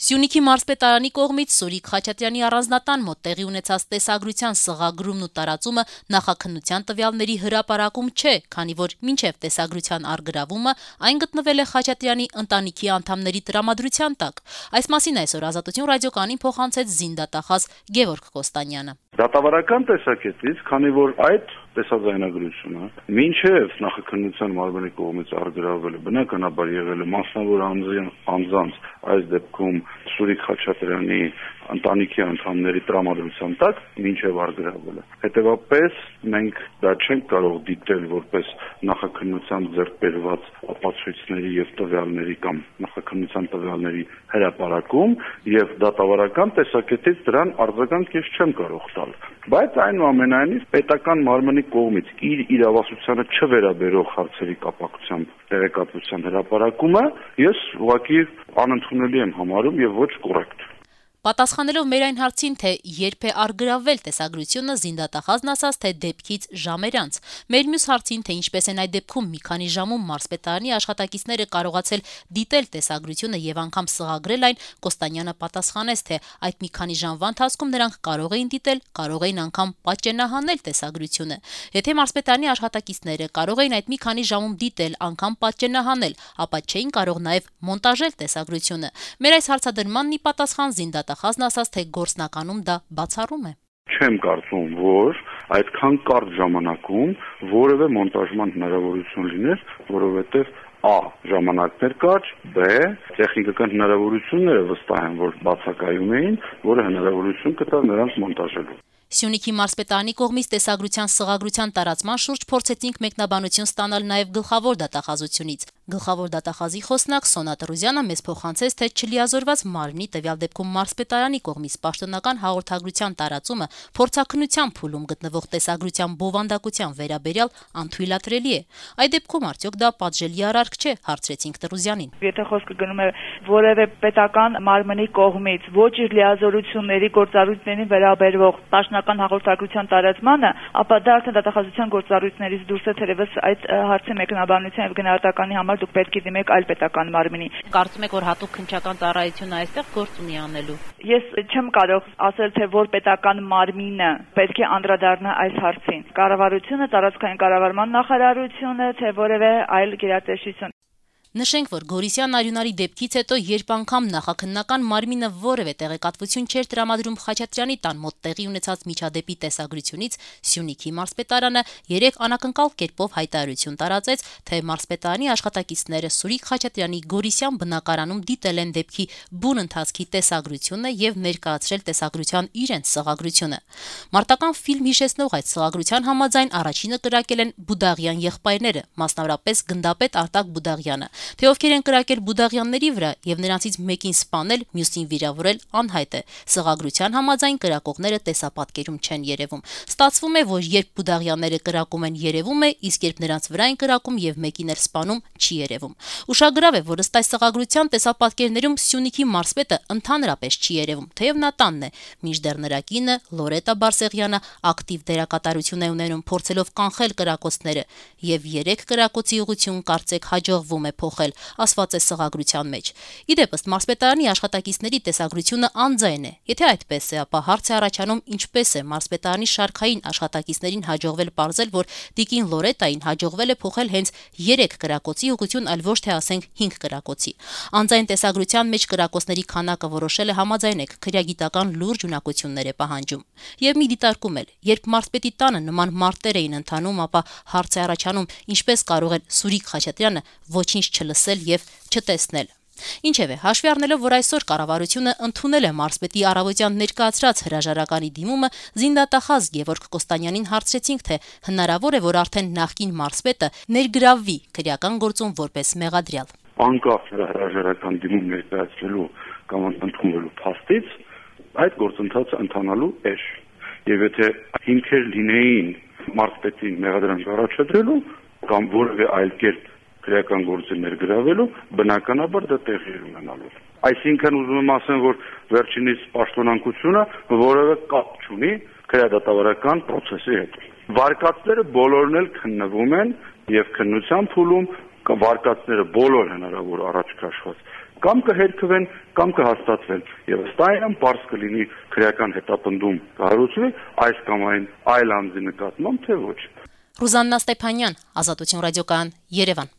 Սյունիքի մարզպետարանի կողմից Սուրիկ Խաչատրյանի առանձնատան մոտ տեղի ունեցած տեսագրության սղագրումն ու տարածումը նախաքննության տվյալների հրապարակում չէ, քանի որ մինչև տեսագրության առգրավումը այն գտնվել է Խաչատրյանի ընտանիքի անդամների տրամադրության տակ։ Այս մասին այսօր Ազատություն ռադիոկայանին փոխանցեց զինդատախազ Գևորգ Կոստանյանը։ Դատավարական տեսակետից, քանի որ այդ տեսաձայնագրությունը մինչև նախաքննության մարմնի կողմից առգրավվել է, բնականաբար եղել է մասնավոր անձանց, այս դեպքում Սուրիկ Խաչատրյանի ընտանիքի անդամների տրամադրության տակ մինչև առգրավվել է։ Հետևաբար մենք դա չենք կարող դիտել որպես նախաքննության ձեռք բերված ապացույցների եւ տվյալների կամ նախաքննության տվյալների հրապարակում եւ դատավարական տեսակետից դրան արձագանք ես չեմ կարող տալ։ Բայց այնուամենայնիվ պետական մարմնի կողմից իր իրավասությանը չվերաբերող հարցերի կապակցությամբ տեղեկատվության հրապարակումը ես ուղղակի անընդունելի եմ համարում եւ ոչ կոռեկտ։ Պատասխանելով մեր այն հարցին, թե երբ է առգրավվել տեսագրությունը, զինդատախազն ասաց, թե դեպքից ժամեր անց։ Մեր մյուս հարցին, թե ինչպես են այդ դեպքում մի քանի ժամում մարզպետարանի աշխատակիցները կարողացել դիտել տեսագրությունը եւ անգամ սղագրել այն, Կոստանյանը պատասխանեց, թե այդ մի քանի ժամվա ընթացքում նրանք կարող էին դիտել, կարող էին անգամ պատճենահանել տեսագրությունը։ Եթե մարզպետարանի աշխատակիցները կարող էին այդ մի քանի ժամում դիտել, անգամ պատճենահանել, ապա չէին կարող նաեւ մոնտաժել տեսագրությունը։ Մեր այս հարցադրմանն ի պատասխան զինդատախազն ասաց, թե գործնականում դա բացառում է։ Չեմ կարծում, որ այդքան կարճ ժամանակում որևէ մոնտաժման հնարավորություն լիներ, որովհետև A. ժամանակներ կարճ, B. տեխնիկական հնարավորությունները վստահ են, որ բացակայում էին, որը հնարավորություն կտա նրանց մոնտաժելու։ Սյունիքի մարզպետարանի կողմից տեսագրության սղագրության տարածման շուրջ փորձեցինք մեկնաբանություն ստանալ նաև գլխավոր դատախազությունից։ Գլխավոր դատախազի խոսնակ Սոնա Տրուզյանը մեզ փոխանցեց, թե չլիազորված մարմնի տվյալ դեպքում մարզպետարանի կողմից պաշտոնական հաղորդագրության տարածումը փորձաքննության փուլում գտնվող տեսագրության բովանդակության վերաբերյալ անթույլատրելի է։ Այդ դեպքում արդյոք դա պատժելի արարք չէ, հարցրեցինք Տրուզյանին։ Եթե խոսքը գնում է որևէ պետական մարմնի կողմից ոչ իր լիազորությունների գործառույթներին վերաբերող պաշտոնական հաղորդագրության տարածմանը, ապա դա արդեն դատախազության գործառույթներից դուրս է, թերևս այդ հարցի մեկնաբանության եւ գնահատականի համար դուք պետք է դիմեք այլ պետական մարմնի։ Կարծում եք, որ հատուկ քննչական ծառայությունը այստեղ գործ ունի անելու։ Ես չեմ կարող ասել, թե որ պետական մարմինը պետք է անդրադառնա այս հարցին։ Կառավարությունը, տարածքային կառավարման նախարարությունը, թե որևէ այլ գերատեսչություն։ Նշենք, որ Գորիսյան Արյունարի դեպքից հետո, երբ անգամ նախաքննական մարմինը որևէ տեղեկատվություն չէր տրամադրում Խաչատրյանի տան մոտ տեղի ունեցած միջադեպի տեսագրությունից, Սյունիքի մարզպետարանը 3 անակնկալ կերպով հայտարարություն տարածեց, թե մարզպետարանի աշխատակիցները Սուրիկ Խաչատրյանի Գորիսյան բնակարանում դիտել են դեպքի բուն ընթացքի տեսագրությունը եւ ներկայացրել տեսագրության իրենց սղագրությունը։ Մարտական ֆիլմ հիշեցնող այդ սղագրության համաձայն առաջինը կրակել են Բուդաղյան եղբայրները, մասնավորապես գնդապետ Արտակ Բուդաղյանը։ Թե ովքեր են կրակել Բուդաղյանների վրա եւ նրանցից մեկին սպանել, մյուսին վիրավորել անհայտ է։ Սղագրության համաձայն կրակողները տեսապատկերում չեն երևում։ Ստացվում է, որ երբ Բուդաղյանները կրակում են, երևում է, իսկ երբ նրանց վրա են կրակում եւ մեկին էր սպանում, չի երևում։ Ուշագրավ է, որ ըստ այս սղագրության տեսապատկերներում Սյունիքի մարզպետը ընդհանրապես չի երևում, թեև նա տանն է, մինչդեռ նրա կինը Լորետա Բարսեղյանը ակտիվ դերակատարություն է ունենում փորձելով կանխել կրակոցները եւ 3 կրակոցի ուղղություն կարծեք հաջողվում է փոխել, ասված է սղագրության մեջ։ Իդեպ ըստ մարզպետարանի աշխատակիցների տեսագրությունը անձայն է։ Եթե այդպես է, ապա հարց է առաջանում ինչպես է մարզպետարանի շարքային աշխատակիցներին հաջողվել պարզել, որ Տիկին Լորետային հաջողվել է փոխել հենց 3 կրակոցի ուղղություն, այլ ոչ թե ասենք 5 կրակոցի։ Անձայն տեսագրության մեջ կրակոցների քանակը որոշել է համաձայնեք, քրեագիտական լուրջ ունակություններ է պահանջում։ Եվ մի դիտարկում էլ, երբ մարզպետի տանը նման մարտեր էին ընթանում, ապա հարց է առաջանում ինչպես կարող է Սուրիկ Խաչատրյանը ոչինչ չլսել եւ չտեսնել։ Ինչևէ, հաշվի առնելով, որ այսօր կառավարությունը ընդունել է մարզպետի առավոտյան ներկայացրած հրաժարականի դիմումը, զինդատախազ Գևորգ Կոստանյանին հարցրեցինք, թե հնարավոր է, որ արդեն նախկին մարզպետը ներգրավվի քրեական գործում որպես մեղադրյալ։ Անկախ հրաժարական դիմում ներկայացնելու կամ ընդունելու փաստից այդ գործընթացը ընթանալու է։ Եվ եթե հիմքեր լինեին մարզպետին մեղադրանք առաջադրելու կամ որևէ այլ կերպ քրեական գործի ներգրավելու, բնականաբար դա տեղի ունենալու։ Այսինքն ուզում եմ ասեմ, որ վերջինիս պաշտոնանկությունը որևէ կապ չունի քրեադատավարական process-ի հետ։ Վարկածները բոլորն էլ քննվում են եւ քննության փուլում վարկածները բոլոր հնարավոր առաջ քաշված կամ կհերքվեն, կամ կհաստատվեն։ Եվ ըստ այն պարզ կլինի քրեական հետապնդում կհարուցվի այս կամ այն այլ անձի նկատմամբ, թե ոչ։ Ռուզաննա Ստեփանյան, Ազատություն ռադիոկայան, Երևան։